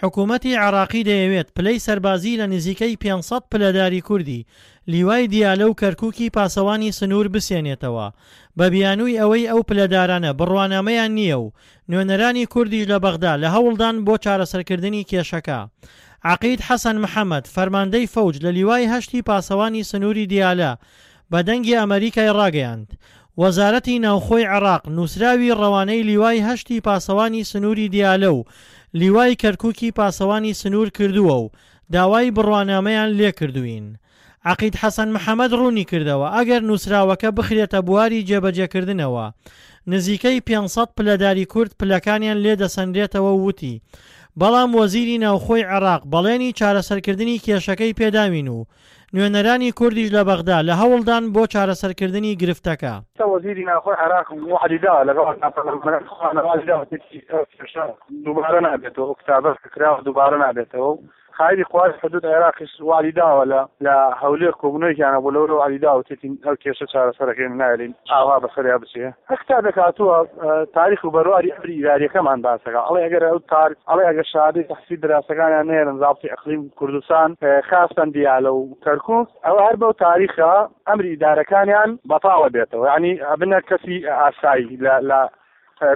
حکوومەتی عێراقی دەیەوێت پلەی سەربازی لە نزیکەی 500 پلەداری کوردی لیوای دیالە و کەرکووکی پاسەوانی سنوور بسێنێتەوە بە بیانووی ئەوەی ئەو پلەدارانە بڕوانامەیان نییە و نوێنەرانی کوردیش لە بەغدا لە هەوڵدان بۆ چارەسەرکردنی کێشەکە. عەقید حەسەن محەمەد، فەرماندەی فەوج لە لیوای هەشتی پاسەوانی سنووری دیالە بە دەنگی ئەمەریکای ڕاگەیاند، وەزارەتی ناوخۆی عێراق نووسراوی ڕەوانەی لیوای هەشتی پاسەوانی سنووری دیالە و لیوای کەرکوکی پاسەوانی سنوور کردووە و داوای بڕوانامەیان لێکردووین. عەقید حەسەن محەمەد ڕوونیکردەوە، ئەگەر نووسراوەکە بخرێتە بواری جێبەجێکردنەوە، نزیکەی 500 پلەداری کورد پلەکانیان لێ دەسەنرێتەوە و وتی، بەڵام وەزیری ناوخۆی عێراق بەڵێنی چارەسەرکردنی کێشەکەی پێداوین و نوێنەرانی کوردیش لە بەغدا لە هەوڵدان بۆ چارەسەرکردنی گرفتەکە. وەزیری ناوخۆی عێراق وەعدی دا لەگەڵ پەرلەمانەکان خۆیان وەعدی دا وتیشی ئەو کێشە دووبارە نابێتەوە، ئەو کتابە کە کراوە دووبارە نابێتەوە و قائیدی قوای حدود عێراقیش وەعدی داوە لە لە هەولێر کۆبوونەوەیەکیان هەبوو لەورە وەعدی داوە وتیتی ئەو کێشە چارەسەرەکەین نایەلین ئاوا بەسەریا بچێ. هەر کتابێک هاتووە تاریخ و بەرواری ئەمری ئیداریەکەمان باسەکا ئەڵێ ئەگەر ئەو تار ئەڵێ ئەگەر شەهادەی تەحسیل دراسەکانیان نێرن زابطی ئەقلیم کوردستان خاستەن دیالە و کەرکوک ئەوە هەر بەو تاریخە ئەمری ئیدارەکانیان بەتاڵە بێتەوە یانی ئەبنە کەسی ئاسایی لە لە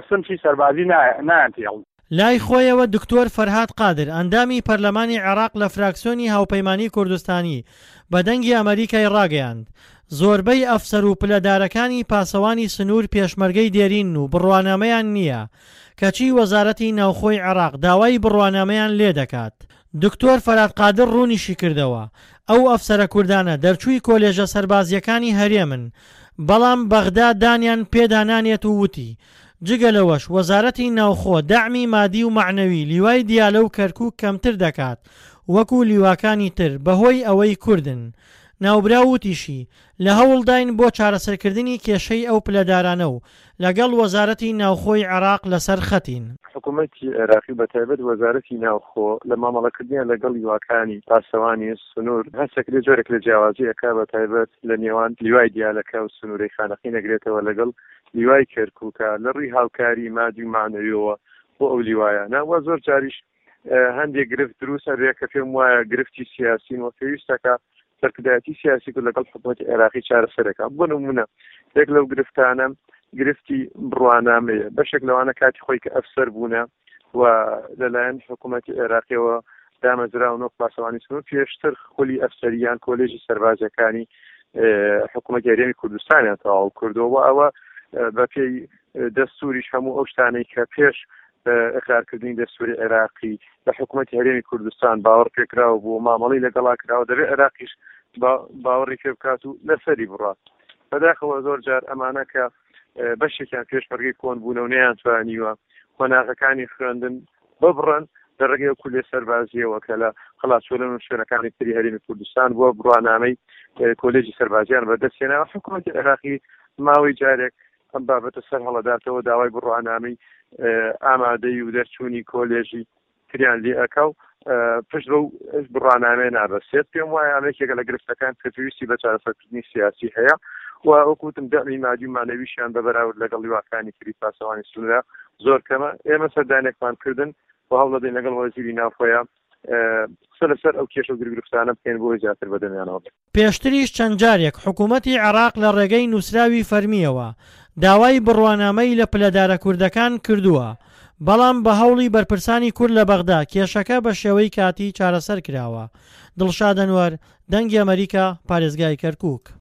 سنفی سەربازی نایان تێڵ. لای خۆیەوە دکتۆر فەرهاد قادر ئەندامی پەرلەمانی عێراق لە فراکسیۆنی هاوپەیمانی کوردستانی بە دەنگی ئەمەریکای ڕاگەیاند، زۆربەی ئەفسەر و پلەدارەکانی پاسەوانی سنوور پێشمەرگەی دێرینن و بڕوانامەیان نییە، کەچی وەزارەتی ناوخۆی عێراق داوای بڕوانامەیان لێدەکات. دکتۆر فەراد قادر ڕوونیشیکردەوە، ئەو ئەفسەرە کوردانە دەرچووی کۆلێژە سەربازییەکانی هەرێمن، بەڵام بەغدا دانیان پێدا نانێت و وتی، جگە لەوەش وەزارەتی ناوخۆ دەعمی مادی و مەعنەوی لیوای دیالە و کەرکوک کەمتر دەکات وەکو لیواکانی تر بەهۆی ئەوەی کوردن. ناوبراو وتیشی، لە هەوڵداین بۆ چارەسەرکردنی کێشەی ئەو پلەدارانە و لەگەڵ وەزارەتی ناوخۆی عێراق لەسەر خەتین. حکوومەتی عێراقی و بەتایبەت وەزارەتی ناوخۆ لە مامەڵەکردنیان لەگەڵ لیواکانی پاسەوانی سنوور هەست ئەکرێ جۆرێک لە جیاوازی ئەکا بەتایبەت لە نێوان لیوای دیالەکە و سنوورەی خانەقین ئەگرێتەوە لەگەڵ لیوای کەرکووکە لە ڕووی هاوکاری مادی و مەعنەویەوە بۆ ئەو لیوایانە و زۆر جاریش هەندێک گرفت دروست ئەبێ کە پێم وایە گرفتی سیاسین و پێویستەکە سەرکردایەتی سیاسی کورد لەگەڵ حکوومەتی عێراقی چارەسەرەکە بۆ نمونە یەک لەو گرفتانە گرفتی بڕوانامەیە بەشێک لەوانە کاتی خۆی کە ئەفسەر بوونە و لەلایەن حکوومەتی عێراقیەوە دامەزراون وەک پاسەوانی سنوور پێشتر خولی ئەفسەریان کۆلێژی سەربازەکانی حکوومەتی هەرێمی کوردستانیان تەواو کردەوە و ئەوە بەپێی دەستوریش هەموو ئەو شتانەی کە پێش ئەقرارکردنی دەستوری عێراقی لە حکوومەتی هەرێمی کوردستان باوەڕ پێکراوە بوو مامەڵی لەگەڵا کراوە دەبێت عێراقیش باوەڕی پێ بکات و لەسەری بڕات بەداخەوە زۆر جار ئەمانە کە بەشێکیان پێشمەرگەی کۆن بوونە و نەیانتوانیوە قۆناغەکانی خوێندن ببڕن لە ڕێگەی ئەو کولیە سەربازییەوە کە لە قەڵاچۆلن و شوێنەکانی تری هەرێمی کوردستان بووە بڕوانامەی کۆلێجی سەربازیان بەدەستهێناوە حکوومەتی عێراقی ماوەی جارێک ئەم بابەتە سەر هەڵەداتەوە داوای بڕوانامەی ئامادەی و دەرچوونی کۆلێژی تریان لێ ئەکا و پشت بەو بڕوانامەیە نابەستێت پێم وایە ئەمە یەکێکە لە گرفتەکان کە پێویستی بە چارەسەرکردنی سیاسی هەیە و وەکو وتم دەعمی مادی و مانەویشیان بە بەراورد لەگەڵ لیواکانی تری پاسەوانی سنوورە زۆر کەمە ئێمە سەردانێکمان کردن و هەوڵدەین لەگەڵ وەزیری ناوخۆیە قسە لەسەر ئەو کێشە و گرفتانە بکەین بۆ زیاتر بەدەمیانەوە بێت. پێشتریش چەند جارێک حکوومەتی عێراق لە ڕێگەی نووسراوی فەرمییەوە داوای بڕوانامەی لە پلەدارە کوردەکان کردووە، بەڵام بە هەوڵی بەرپرسانی کورد لە بەغدا کێشەکە بە شێوەی کاتی چارەسەر کراوە. دڵشاد ئەنوەر، دەنگی ئەمەریکا، پارێزگای کەرکووک.